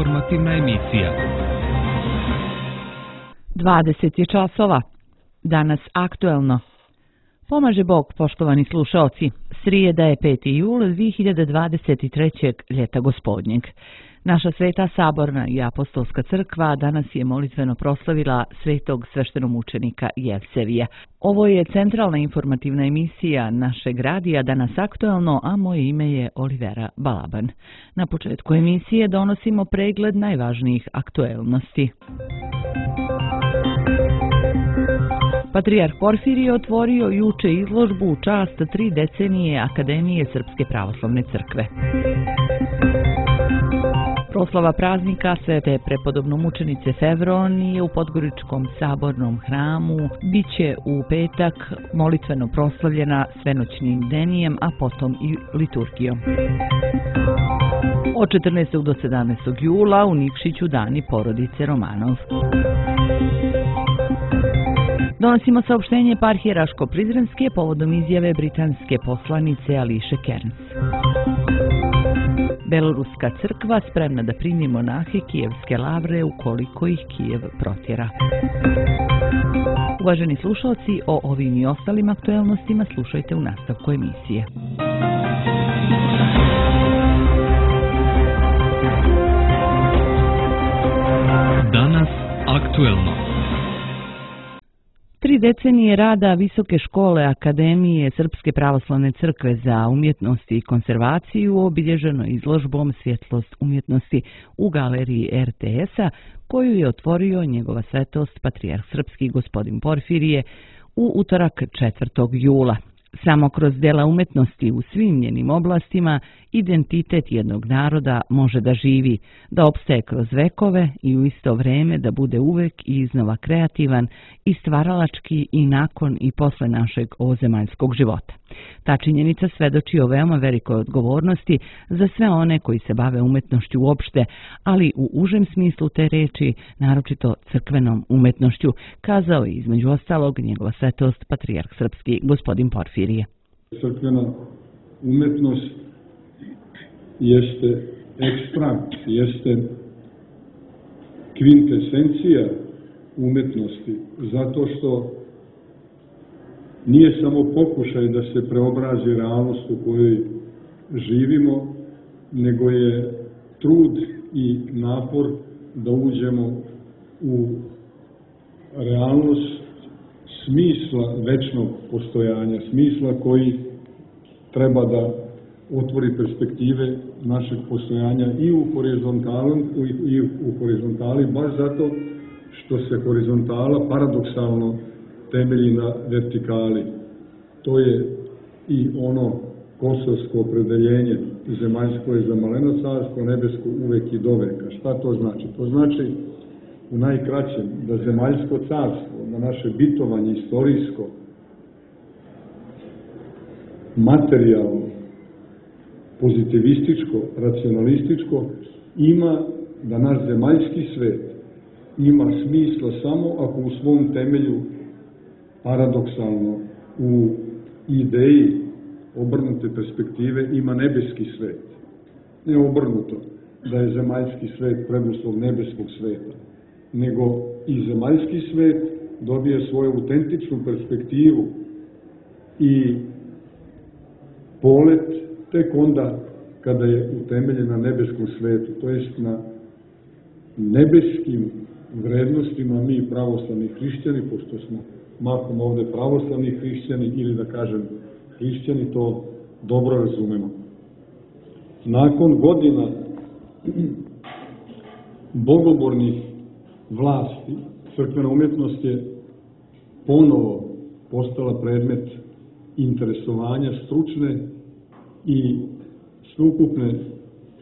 informativna emisija. 20 je časova. Danas aktuelno. Pomaže Bog, poštovani slušaoci. Srijeda je 5. jul 2023. ljeta gospodnjeg. Naša Sveta Saborna i Apostolska crkva danas je molitveno proslavila svetog sveštenomučenika Jevsevija. Ovo je centralna informativna emisija našeg radija Danas aktuelno, a moje ime je Olivera Balaban. Na početku emisije donosimo pregled najvažnijih aktuelnosti. Patrijarh Porfirije otvorio juče izložbu u čast 3 decenije Akademije Srpske pravoslavne crkve. Proslava praznika Svete prepodobnomučenice Fevronije u Podgoričkom sabornom hramu biće u petak molitveno proslavljena svenoćnim denijem, a potom i liturgijom. Od 14. do 17. jula u Nikšiću dani porodice Romanov. Donosimo saopštenje eparhije Raško-Prizrenske povodom izjave britanske poslanice Ališe Kerns. Beloruska crkva spremna da primi monahe Kijevske lavre ukoliko ih Kijev protjera. Uvaženi slušalci, o ovim i ostalim aktuelnostima slušajte u nastavku emisije. Danas aktuelno. 3 decenije rada Visoke škole Akademije Srpske pravoslavne crkve za umjetnost i konzervaciju obilježeno izložbom Svjetlost umjetnosti u galeriji RTS-a, koju je otvorio njegova svetost Patrijarh Srpski gospodin Porfirije u utorak 4. jula. Samo kroz dela umetnosti u svim njenim oblastima identitet jednog naroda može da živi, da opstaje kroz vekove i u isto vrijeme da bude uvek i iznova kreativan i stvaralački i nakon i posle našeg ovozemaljskog života. Ta činjenica svedoči o veoma velikoj odgovornosti za sve one koji se bave umetnošću uopšte, ali u užem smislu te reči, naročito crkvenom umetnošću, kazao je između ostalog njegova svetost Patrijarh Srpski gospodin Porfirije. Crkvena umetnost jeste ekstrakt, jeste kvintesencija umetnosti, zato što nije samo pokušaj da se preobrazi realnost u kojoj živimo, nego je trud i napor da uđemo u realnost smisla večnog postojanja, smisla koji treba da otvori perspektive našeg postojanja i u horizontali, baš zato što se horizontala paradoksalno temelji na vertikali. To je i ono kosovsko opredeljenje, zemaljsko je za maleno carstvo, nebesko uvek i doveka. Šta to znači? To znači u najkraćem da zemaljsko carstvo, da naše bitovanje istorijsko, materijalno, pozitivističko, racionalističko, ima da naš zemaljski svet ima smisla samo ako u svom temelju paradoksalno u ideji obrnute perspektive ima nebeski svet. Ne obrnuto, da je zemaljski svet preduslov nebeskog sveta, nego i zemaljski svet dobije svoju autentičnu perspektivu i polet tek onda kada je utemeljen na nebeskom svetu, to jest na nebeskim vrednostima mi pravoslavni hrišćani, pošto smo mahom ovde pravoslavni hrišćani ili da kažem hrišćani, to dobro razumemo. Nakon godina bogobornih vlasti, crkvena umjetnost je ponovo postala predmet interesovanja stručne i sveukupne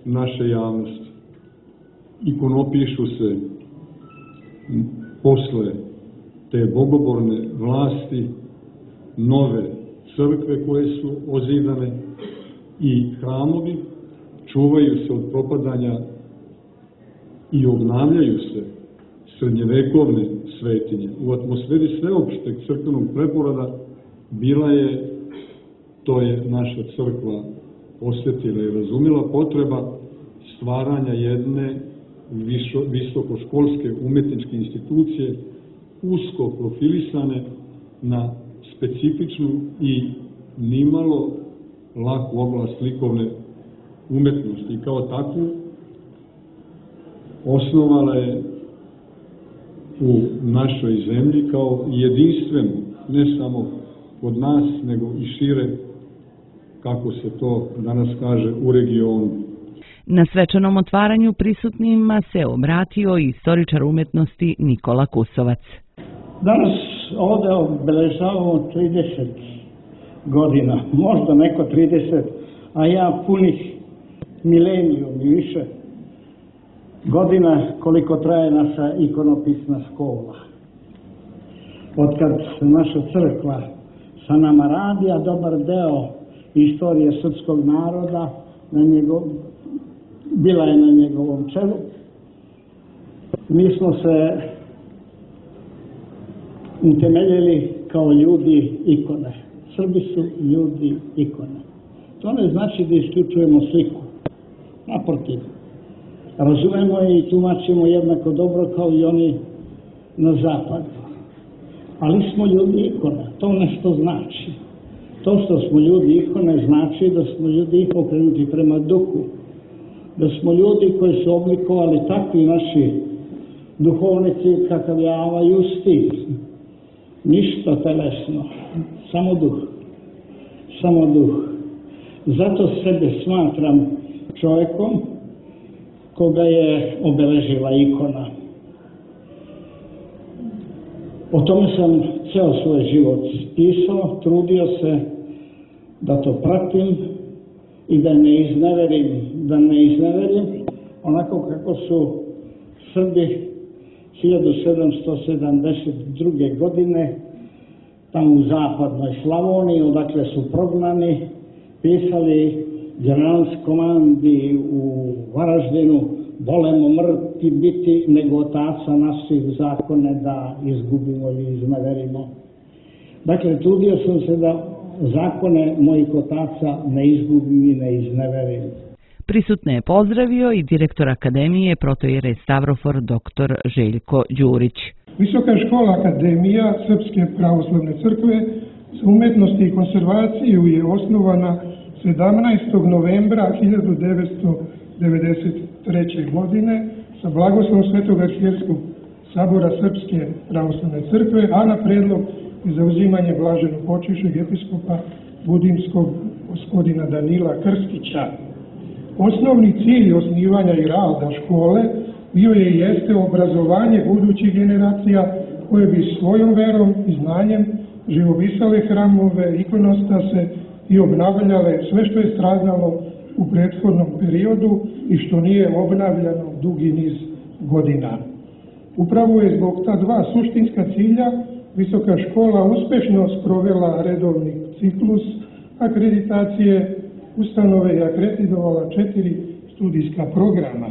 naše javnosti. Ikonopišu se posle te bogoborne vlasti nove crkve koje su ozidane i hramovi čuvaju se od propadanja i obnavljaju se srednjevekovne svetinje. U atmosferi sveopšteg crkvenog preporoda bila je, to je naša crkva osjetila i razumjela, potreba stvaranja jedne visokoškolske umetničke institucije usko profilisane na specifičnu i nimalo laku oblast likovne umetnosti. I kao takvu osnovala je u našoj zemlji kao jedinstvenu, ne samo kod nas, nego i šire, kako se to danas kaže, u regionu. Na svečanom otvaranju prisutnima se obratio i istoričar umetnosti Nikola Kusovac. Danas ovdje obeležavamo 30 godina, možda neko 30, a ja punih milenijum i više godina koliko traje naša ikonopisna škola. Otkad naša crkva sa nama radi, a dobar deo istorije srpskog naroda bila je na njegovom čelu. Mi smo se utemeljili kao ljudi ikone. Srbi su ljudi ikone. To ne znači da isključujemo sliku. Naprotiv, razumemo je i tumačimo jednako dobro kao i oni na zapadu. Ali smo ljudi ikone. To nešto znači. To što smo ljudi ikone znači da smo ljudi okrenuti prema duhu. Da smo ljudi koji su oblikovali takvi naši duhovnici kakav je Ava Justi. Ništa telesno, samo duh. Samo duh. Zato sebe smatram čovjekom koga je obeležila ikona. O tome sam ceo svoj život pisao, trudio se da to pratim i da ne izneverim, onako kako su Srbi 1772. godine tamo u zapadnoj Slavoniji, odakle su prognani, pisali generalskomandi u Varaždinu: volemo mrti biti nego otaca naših zakone da izgubimo ili izneverimo. Dakle, trudio sam se da zakone mojih otaca ne izgubim i ne izneverim. Prisutne je pozdravio i direktor Akademije protoijerej Stavrofor dr. Željko Đurić. Visoka škola Akademija Srpske pravoslavne crkve za umetnost i konzervaciju je osnovana 17. novembra 1993. godine sa blagoslovom Svetog arhijerskog sabora Srpske pravoslavne crkve, a na predlog i zauzimanje blaženog počivšeg episkopa Budimskog gospodina Danila Krstića. Osnovni cilj osnivanja i rada škole bio je i jeste obrazovanje budućih generacija koje bi svojom verom i znanjem živovisale hramove, ikonostase i obnavljale sve što je stradalo u prethodnom periodu i što nije obnavljano dugi niz godina. Upravo je zbog ta dva suštinska cilja visoka škola uspešno sprovela redovni ciklus akreditacije ustanove i akreditovala 4 studijska programa.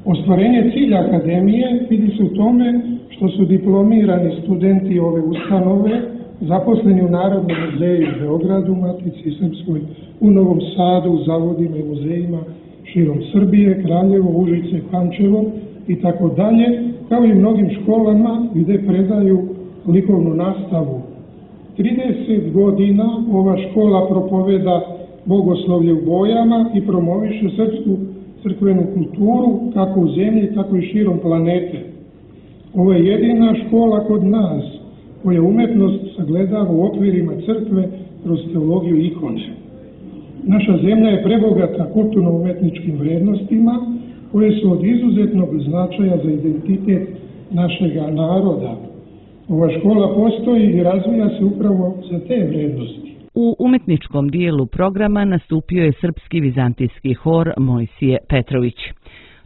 Ostvarenje cilja akademije vidi se u tome što su diplomirani studenti ove ustanove zaposleni u Narodnom muzeju u Beogradu, Matici Srpskoj, u Novom Sadu, u zavodima i muzejima širom Srbije, Kraljevo, Užice, Pančevo i tako dalje, kao i mnogim školama gde predaju likovnu nastavu. 30 godina ova škola propoveda bogoslovlje u bojama i promoviše srpsku crkvenu kulturu kako u zemlji, tako i širom planete. Ovo je jedina škola kod nas koja umetnost sagledava u okvirima crkve kroz teologiju ikone. Naša zemlja je prebogata kulturno-umetničkim vrednostima koje su od izuzetnog značaja za identitet našega naroda. Ova škola postoji i razvija se upravo za te vrednosti. U umetničkom dijelu programa nastupio je srpski vizantijski hor Mojsije Petrović.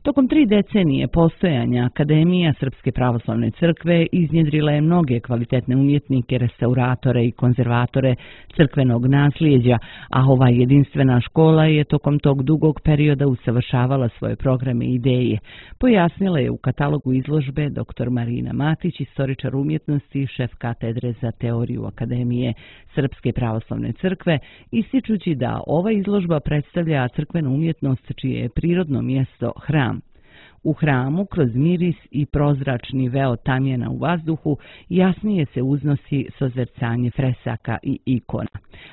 Tokom 3 decenije postojanja Akademija Srpske pravoslavne crkve iznjedrila je mnoge kvalitetne umjetnike, restauratore i konzervatore crkvenog nasljeđa, a ova jedinstvena škola je tokom tog dugog perioda usavršavala svoje programe i ideje. Pojasnila je u katalogu izložbe dr. Marina Matić, istoričar umjetnosti, šef katedre za teoriju Akademije Srpske pravoslavne crkve, ističući da ova izložba predstavlja crkvenu umjetnost čije je prirodno mjesto hram. U hramu, kroz miris i prozračni veo tamjana u vazduhu, jasnije se uznosi sozercanje fresaka i ikona.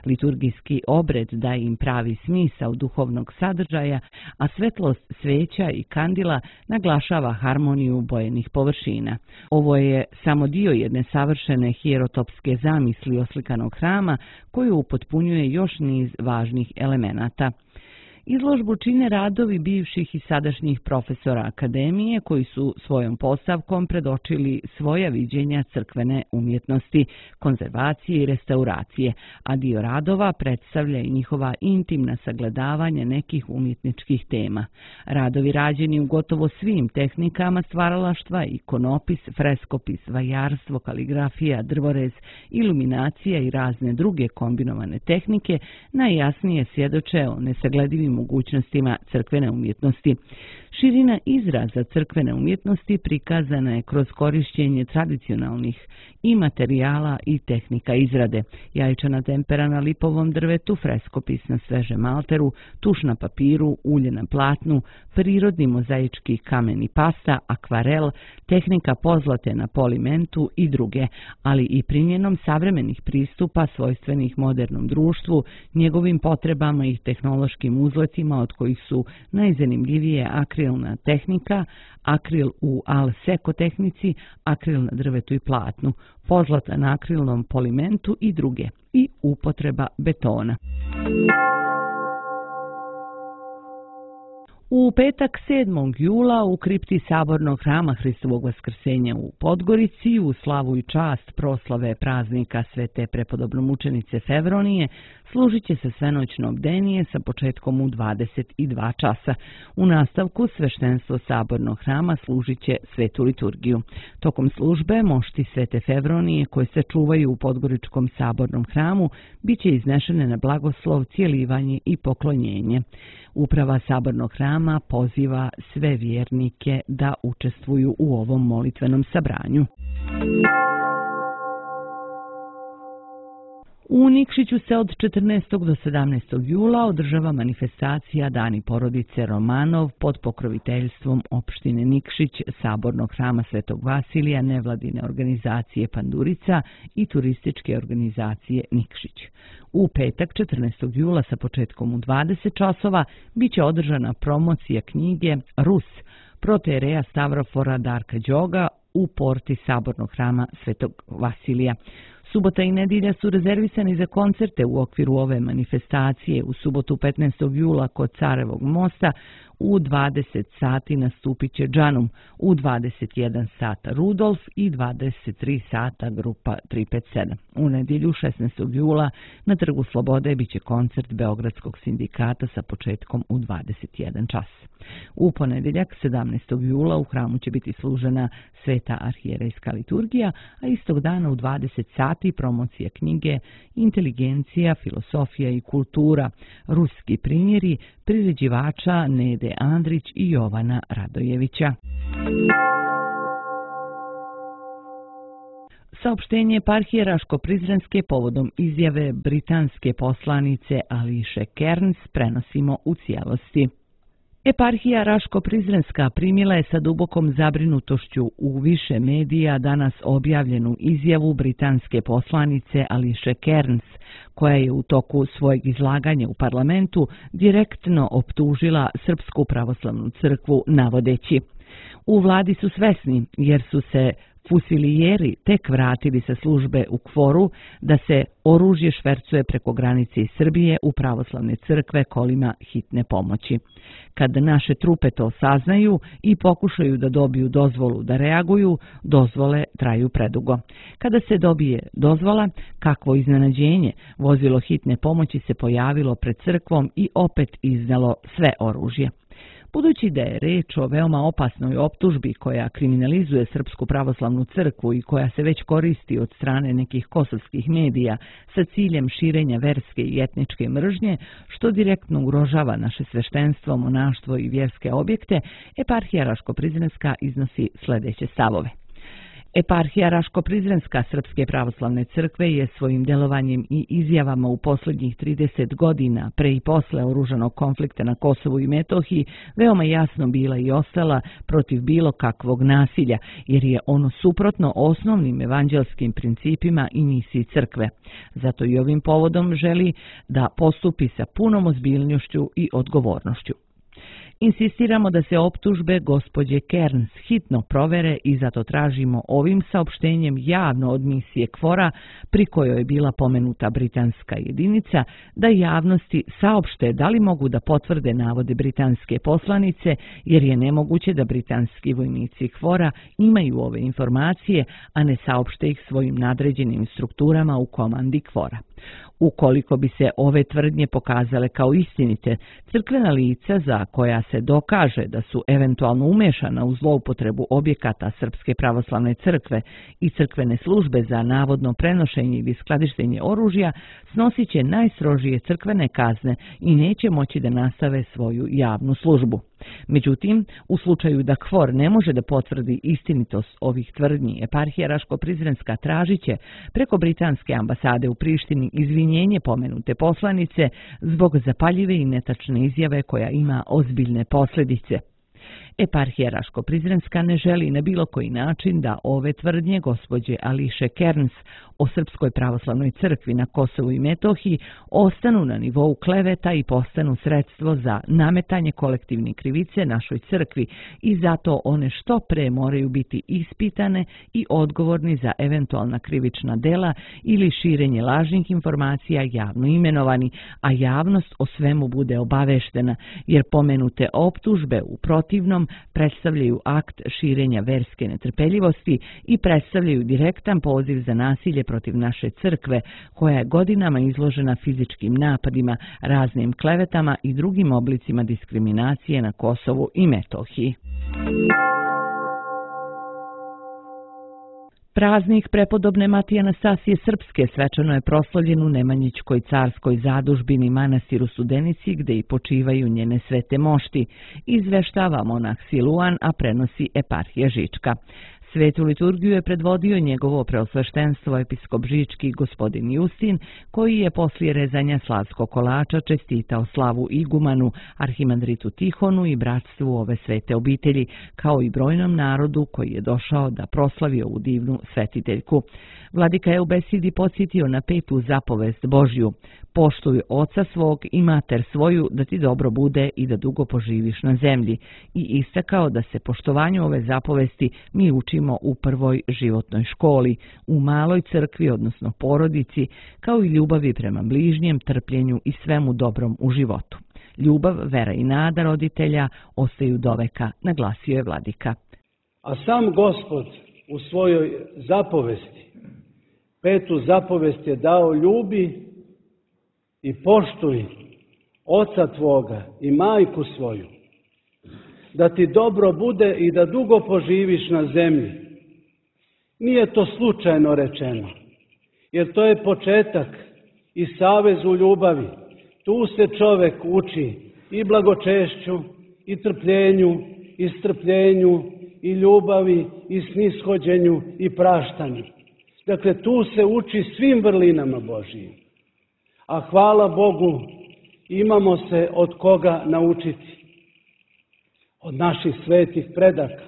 Liturgijski obred daje im pravi smisao duhovnog sadržaja, a svetlost sveća i kandila naglašava harmoniju bojenih površina. Ovo je samo dio jedne savršene hierotopske zamisli oslikanog hrama koju upotpunjuje još niz važnih elemenata. Izložbu čine radovi bivših i sadašnjih profesora akademije koji su svojom postavkom predočili svoja viđenja crkvene umjetnosti, konzervacije i restauracije, a dio radova predstavlja i njihova intimna sagledavanja nekih umjetničkih tema. Radovi rađeni u gotovo svim tehnikama stvaralaštva, ikonopis, freskopis, vajarstvo, kaligrafija, drvorez, iluminacija i razne druge kombinovane tehnike najjasnije svjedoče o nesagledivim mogućnostima crkvene umjetnosti. Širina izraza crkvene umjetnosti prikazana je kroz korišćenje tradicionalnih i materijala i tehnika izrade. Jajčana tempera na lipovom drvetu, freskopis na svežem malteru, tuš na papiru, ulje na platnu, prirodni mozaički kamen i pasta, akvarel, tehnika pozlate na polimentu i druge, ali i primjenom savremenih pristupa svojstvenih modernom društvu, njegovim potrebama i tehnološkim uzletima od kojih su najzanimljivije akrilna tehnika, akril u al seko tehnici, akril na drvetu i platnu, pozlata na akrilnom polimentu i druge, i upotreba betona. U petak 7. jula u kripti Sabornog hrama Hristovog Vaskrsenja u Podgorici u slavu i čast proslave praznika Svete prepodobnomučenice Fevronije služit će se svenoćno bdenije sa početkom u 22 časa. U nastavku sveštenstvo Sabornog hrama služit će svetu liturgiju. Tokom službe mošti Svete Fevronije koje se čuvaju u Podgoričkom Sabornom hramu bit će iznešene na blagoslov, cijelivanje i poklonjenje. Uprava Sabornog hrama poziva sve vjernike da učestvuju u ovom molitvenom sabranju. U Nikšiću se od 14. do 17. jula održava manifestacija Dani porodice Romanov pod pokroviteljstvom opštine Nikšić, Sabornog hrama Svetog Vasilija, nevladine organizacije Pandurica i turističke organizacije Nikšić. U petak 14. jula sa početkom u 20 časova bit će održana promocija knjige Rus protereja Stavrofora Darka Đoga u porti Sabornog hrama Svetog Vasilija. Subota i nedjelja su rezervisani za koncerte u okviru ove manifestacije. U subotu 15. jula kod Carevog mosta u 20 sati nastupit će Džanum, u 21 sata Rudolf i 23 sata grupa 357. U nedjelju 16. jula na Trgu Slobode bit će koncert Beogradskog sindikata sa početkom u 21 čas. U ponedjeljak 17. jula u hramu će biti služena Sveta arhijerejska liturgija, a istog dana u 20 sati promocija knjige Inteligencija, filosofija i kultura, ruski primjeri priređivača Nede Andrić i Jovana Radojevića. Saopštenje eparhije Raško-Prizrenske povodom izjave britanske poslanice Ališe Kearns prenosimo u cijelosti. Eparhija Raško-Prizrenska primila je sa dubokom zabrinutošću u više medija danas objavljenu izjavu britanske poslanice Ališe Kearns, koja je u toku svojeg izlaganja u parlamentu direktno optužila Srpsku pravoslavnu crkvu navodeći: u vladi su svesni jer su se fusilijeri tek vratili sa službe u KFOR-u da se oružje švercuje preko granice iz Srbije u pravoslavne crkve kolima hitne pomoći. Kad naše trupe to saznaju i pokušaju da dobiju dozvolu da reaguju, dozvole traju predugo. Kada se dobije dozvola, kakvo iznenađenje, vozilo hitne pomoći se pojavilo pred crkvom i opet iznalo sve oružje. Budući da je reč o veoma opasnoj optužbi koja kriminalizuje Srpsku pravoslavnu crkvu i koja se već koristi od strane nekih kosovskih medija sa ciljem širenja verske i etničke mržnje, što direktno ugrožava naše sveštenstvo, monaštvo i vjerske objekte, eparhija Raško-Prizrenska iznosi sljedeće stavove. Eparhija Raško-Prizrenska Srpske pravoslavne crkve je svojim delovanjem i izjavama u posljednjih 30 godina pre i posle oružanog konflikta na Kosovu i Metohiji veoma jasno bila i ostala protiv bilo kakvog nasilja, jer je ono suprotno osnovnim evanđelskim principima i misiji crkve. Zato i ovim povodom želi da postupi sa punom ozbiljnošću i odgovornošću. Insistiramo da se optužbe gospođe Kerns hitno provere i zato tražimo ovim saopštenjem javno od misije KFOR-a, pri kojoj je bila pomenuta britanska jedinica, da javnosti saopšte da li mogu da potvrde navode britanske poslanice, jer je nemoguće da britanski vojnici KFOR-a imaju ove informacije, a ne saopšte ih svojim nadređenim strukturama u komandi KFOR-a. Ukoliko bi se ove tvrdnje pokazale kao istinite, crkvena lica za koja se dokaže da su eventualno umešana u zloupotrebu objekata Srpske pravoslavne crkve i crkvene službe za navodno prenošenje ili skladištenje oružja, snosit će najstrožije crkvene kazne i neće moći da nastave svoju javnu službu. Međutim, u slučaju da KFOR ne može da potvrdi istinitost ovih tvrdnji, Eparhija Raško-Prizrenska tražiće preko britanske ambasade u Prištini izvinjenje pomenute poslanice zbog zapaljive i netačne izjave koja ima ozbiljne posljedice. Eparhija Raško-Prizrenska ne želi na bilo koji način da ove tvrdnje gospođe Ališe Kerns o Srpskoj pravoslavnoj crkvi na Kosovu i Metohiji ostanu na nivou kleveta i postanu sredstvo za nametanje kolektivne krivice našoj crkvi i zato one što pre moraju biti ispitane i odgovorni za eventualna krivična dela ili širenje lažnih informacija javno imenovani, a javnost o svemu bude obaveštena, jer pomenute optužbe u protivnom predstavljaju akt širenja verske netrpeljivosti i predstavljaju direktan poziv za nasilje protiv naše crkve, koja je godinama izložena fizičkim napadima, raznim klevetama i drugim oblicima diskriminacije na Kosovu i Metohiji. Praznik prepodobne Matije Anastasije Srpske svečano je proslavljen u Nemanjićkoj carskoj zadužbini manastiru Studenici, gde i počivaju njene svete mošti, izveštava monah Siluan, a prenosi Eparhija Žička. Svetu liturgiju je predvodio njegovo preosveštenstvo episkop Žički gospodin Justin, koji je poslije rezanja slavskog kolača čestitao slavu igumanu, arhimandritu Tihonu i bratstvu ove svete obitelji, kao i brojnom narodu koji je došao da proslavi ovu divnu svetiteljku. Vladika je u besedi podsjetio na 5. zapovest Božju: poštuj oca svog i mater svoju, da ti dobro bude i da dugo poživiš na zemlji, i istakao da se poštovanju ove zapovesti mi učimo u prvoj životnoj školi, u maloj crkvi, odnosno porodici, kao i ljubavi prema bližnjem, trpljenju i svemu dobrom u životu. Ljubav, vera i nada roditelja ostaju doveka, naglasio je vladika. A sam Gospod u svojoj zapovesti, 5. zapovest je dao: ljubi i poštuj oca tvoga i majku svoju, da ti dobro bude i da dugo poživiš na zemlji. Nije to slučajno rečeno, jer to je početak i savez u ljubavi. Tu se čovek uči i blagočešću, i trpljenju, i strpljenju, i ljubavi, i snishođenju, i praštanju. Dakle, tu se uči svim vrlinama Božijim. A hvala Bogu, imamo se od koga naučiti. Od naših svetih predaka,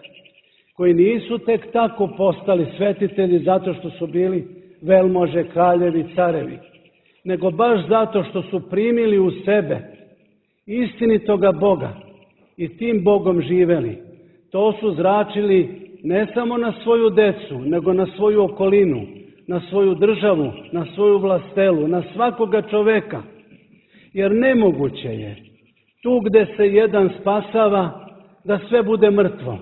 koji nisu tek tako postali svetitelji zato što su bili velmože, kraljevi, carevi, nego baš zato što su primili u sebe istinitoga Boga i tim Bogom živeli. To su zračili ne samo na svoju decu, nego na svoju okolinu, na svoju državu, na svoju vlastelu, na svakoga čoveka. Jer nemoguće je tu gde se jedan spasava da sve bude mrtvo.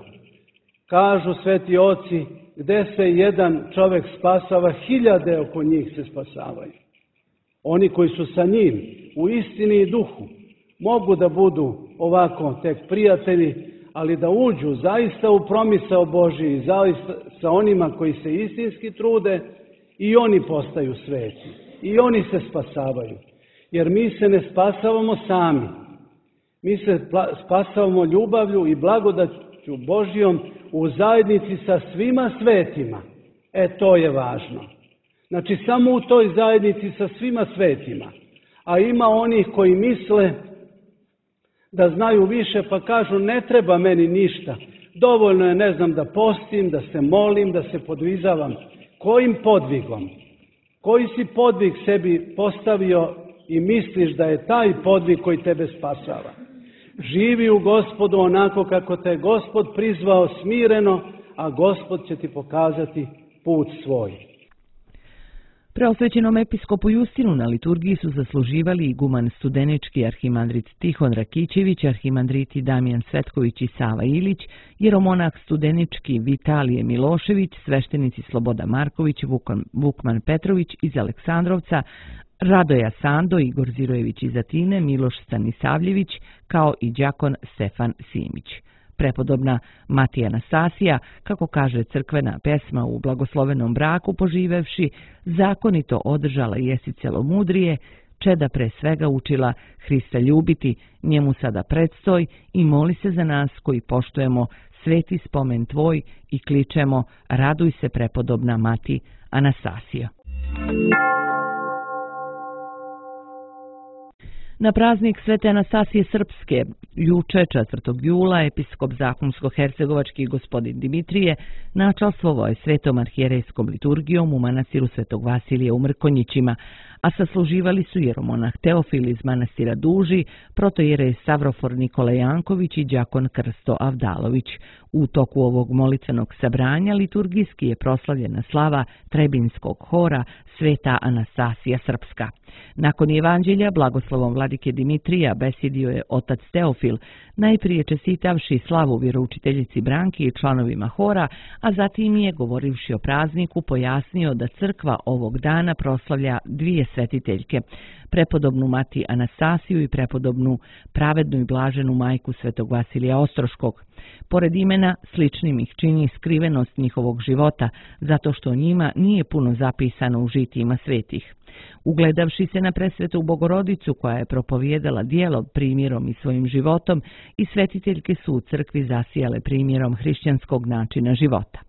Kažu sveti oci, gde se jedan čovek spasava, 1000 oko njih se spasavaju. Oni koji su sa njim u istini i duhu mogu da budu ovako tek prijatelji, ali da uđu zaista u promisao Božiji, zaista sa onima koji se istinski trude, i oni postaju sveti. I oni se spasavaju. Jer mi se ne spasavamo sami. Mi se spasavamo ljubavlju i blagodaću Božijom u zajednici sa svima svetima. To je važno. Znači, samo u toj zajednici sa svima svetima. A ima onih koji misle da znaju više pa kažu ne treba meni ništa. Dovoljno je, ne znam, da postim, da se molim, da se podvizavam. Kojim podvigom? Koji si podvig sebi postavio i misliš da je taj podvig koji tebe spasava? Živi u Gospodu onako kako te je Gospod prizvao smireno, a Gospod će ti pokazati put svoj. Preosvećenom episkopu Justinu na liturgiji su zasluživali iguman Studenički arhimandrit Tihon Rakićević, arhimandriti Damijan Svetković i Sava Ilić, jeromonah Studenički Vitalije Milošević, sveštenici Sloboda Marković, Vukman Petrović iz Aleksandrovca, Radoja Sando, Igor Zirojević iz Atine, Miloš Stanisavljević, kao i đakon Stefan Simić. Prepodobna Matija Anastasija, kako kaže crkvena pesma u blagoslovenom braku poživevši, zakonito održala jesi celomudrije, čeda pre svega učila Hrista ljubiti, njemu sada predstoj i moli se za nas koji poštujemo sveti spomen tvoj i kličemo raduj se prepodobna Mati Anastasija. Na praznik Svete Anastasije Srpske, juče 4. jula, episkop Zahumsko-hercegovački gospodin Dimitrije načalstvovao je svetom arhijerejskom liturgijom u manastiru Svetog Vasilija u Mrkonjićima, a sasluživali su jeromonah Teofil iz manastira Duži, protojerej Savrofor Nikola Janković i đakon Krsto Avdalović. U toku ovog molitvenog sabranja liturgijski je proslavljena slava Trebinskog hora Sveta Anastasija Srpska. Nakon evanđelja blagoslovom vladike Dimitrija besedio je otac Teofil, najprije čestitavši slavu vjeroučiteljici Branki i članovima hora, a zatim je, govorivši o prazniku, pojasnio da crkva ovog dana proslavlja dvije svetiteljke, prepodobnu Mati Anastasiju i prepodobnu pravednu i blaženu majku Svetog Vasilija Ostroškog. Pored imena, sličnim ih čini skrivenost njihovog života, zato što o njima nije puno zapisano u žitijima svetih. Ugledavši se na presvetu Bogorodicu koja je propovijedala djelo primjerom i svojim životom, i svetiteljke su u crkvi zasijale primjerom hrišćanskog načina života.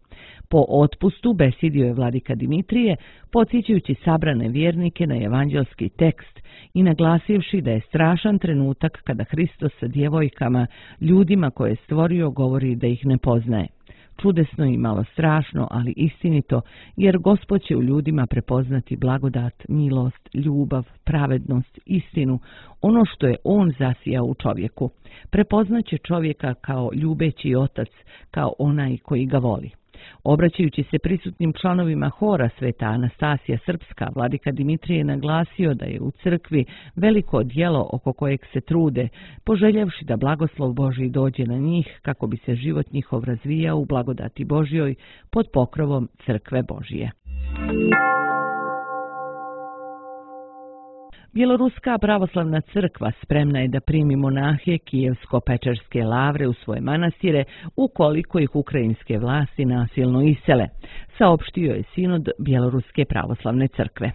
Po otpustu besedio je vladika Dimitrije, podsjećajući sabrane vjernike na evanđelski tekst i naglasivši da je strašan trenutak kada Hristos sa djevojkama, ljudima koje je stvorio, govori da ih ne poznaje. Čudesno i malo strašno, ali istinito, jer Gospod će u ljudima prepoznati blagodat, milost, ljubav, pravednost, istinu, ono što je On zasijao u čovjeku. Prepoznaće čovjeka kao ljubeći otac, kao onaj koji ga voli. Obraćajući se prisutnim članovima hora Sveta Anastasija Srpska, vladika Dimitrije naglasio da je u crkvi veliko djelo oko kojeg se trude, poželjevši da blagoslov Božji dođe na njih kako bi se život njihov razvijao u blagodati Božjoj pod pokrovom crkve Božije. Bjeloruska pravoslavna crkva spremna je da primi monahe Kijevsko-Pečerske lavre u svoje manastire ukoliko ih ukrajinske vlasti nasilno isele, saopštio je sinod Bjeloruske pravoslavne crkve.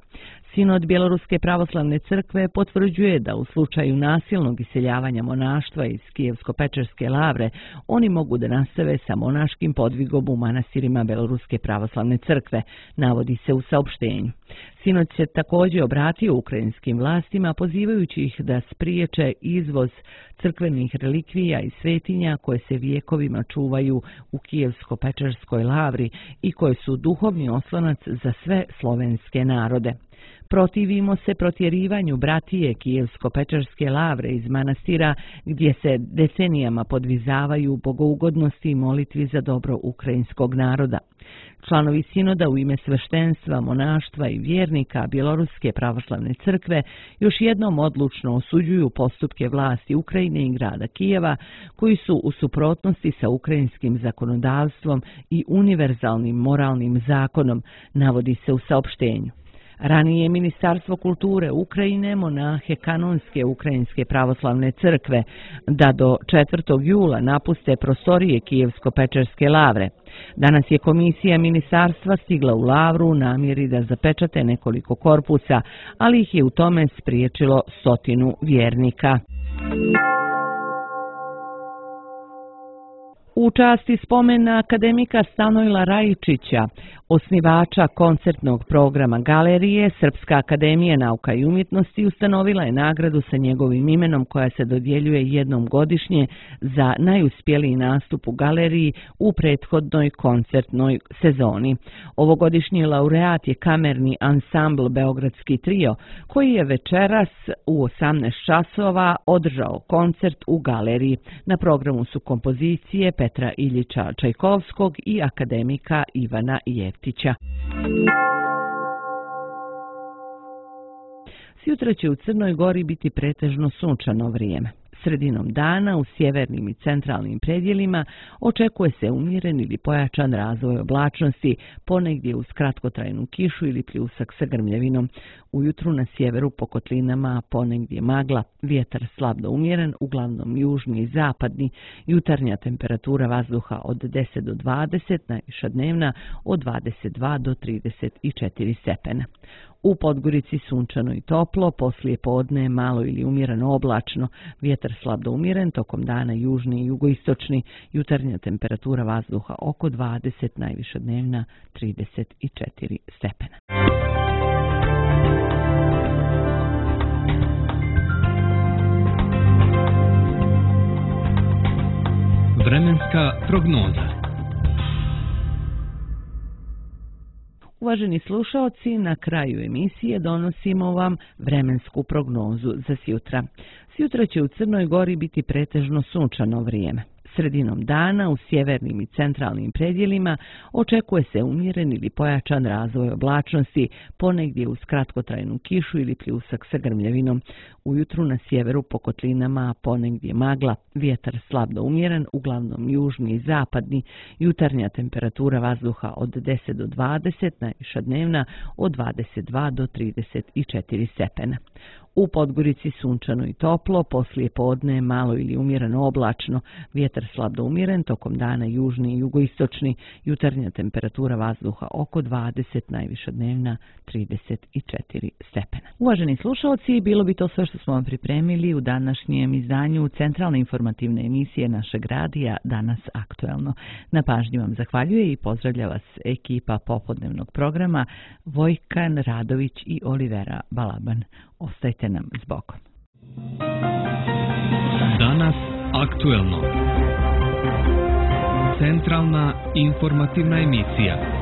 Sinod Bjeloruske pravoslavne crkve potvrđuje da u slučaju nasilnog iseljavanja monaštva iz Kijevsko-Pečerske lavre oni mogu da nastave sa monaškim podvigom u manastirima Bjeloruske pravoslavne crkve, navodi se u saopštenju. Sinod se također obratio ukrajinskim vlastima pozivajući ih da spriječe izvoz crkvenih relikvija i svetinja koje se vijekovima čuvaju u Kijevsko-Pečerskoj lavri i koje su duhovni oslonac za sve slovenske narode. Protivimo se protjerivanju bratije Kijevsko-Pečerske lavre iz manastira gdje se decenijama podvizavaju bogougodnosti i molitvi za dobro ukrajinskog naroda. Članovi sinoda u ime sveštenstva, monaštva i vjernika Bjeloruske pravoslavne crkve još jednom odlučno osuđuju postupke vlasti Ukrajine i grada Kijeva koji su u suprotnosti sa ukrajinskim zakonodavstvom i univerzalnim moralnim zakonom, navodi se u saopštenju. Ranije je Ministarstvo kulture Ukrajine monahe kanonske Ukrajinske pravoslavne crkve da do 4. jula napuste prostorije Kijevsko-Pečerske lavre. Danas je komisija ministarstva stigla u lavru u namjeri da zapečate nekoliko korpusa, ali ih je u tome spriječilo 100 vjernika. U časti spomena akademika Stanojla Rajičića, osnivača koncertnog programa galerije, Srpska akademija nauka i umjetnosti ustanovila je nagradu sa njegovim imenom koja se dodjeljuje jednom godišnje za najuspjeliji nastup u galeriji u prethodnoj koncertnoj sezoni. Ovogodišnji laureat je kamerni ansambl Beogradski trio, koji je večeras u 18 časova održao koncert u galeriji. Na programu su kompozicije Petra Iljiča Čajkovskog i akademika Ivana Jeftića. Sutra će u Crnoj Gori biti pretežno sunčano vrijeme. Sredinom dana u sjevernim i centralnim predjelima očekuje se umjeren ili pojačan razvoj oblačnosti, ponegdje uz kratkotrajnu kišu ili pljusak sa grmljavinom. Ujutru na sjeveru po kotlinama ponegdje magla, vjetar slab do umjeren, uglavnom južni i zapadni, jutarnja temperatura vazduha od 10 do 20, najviša dnevna od 22 do 34 stepena. U Podgorici sunčano i toplo, poslije podne malo ili umjereno oblačno, vjetar slab do umjeren, tokom dana južni i jugoistočni, jutarnja temperatura vazduha oko 20, najviša dnevna 34 stepena. Vremenska prognoza. Uvaženi slušaoci, na kraju emisije donosimo vam vremensku prognozu za sjutra. Sjutra će u Crnoj Gori biti pretežno sunčano vrijeme. Sredinom dana u sjevernim i centralnim predjelima očekuje se umjeren ili pojačan razvoj oblačnosti, ponegdje uz kratkotrajnu kišu ili pljusak sa grmljavinom. Ujutru na sjeveru po kotlinama ponegdje magla, vjetar slab do umjeren, uglavnom južni i zapadni, jutarnja temperatura vazduha od 10 do 20, najviša dnevna od 22 do 34 stepena. U Podgorici sunčano i toplo, poslije podne malo ili umjereno oblačno, vjetar slab do umjeren, tokom dana južni i jugoistočni, jutarnja temperatura vazduha oko 20, najviša dnevna 34 stepena. Uvaženi slušalci, bilo bi to sve što smo vam pripremili u današnjem izdanju centralne informativne emisije našeg radija Danas aktuelno. Na pažnji vam zahvaljuje i pozdravlja vas ekipa popodnevnog programa Vojkan Radović i Olivera Balaban. Ostajte nam s Bogom. Danas aktuelno. Centralna informativna emisija.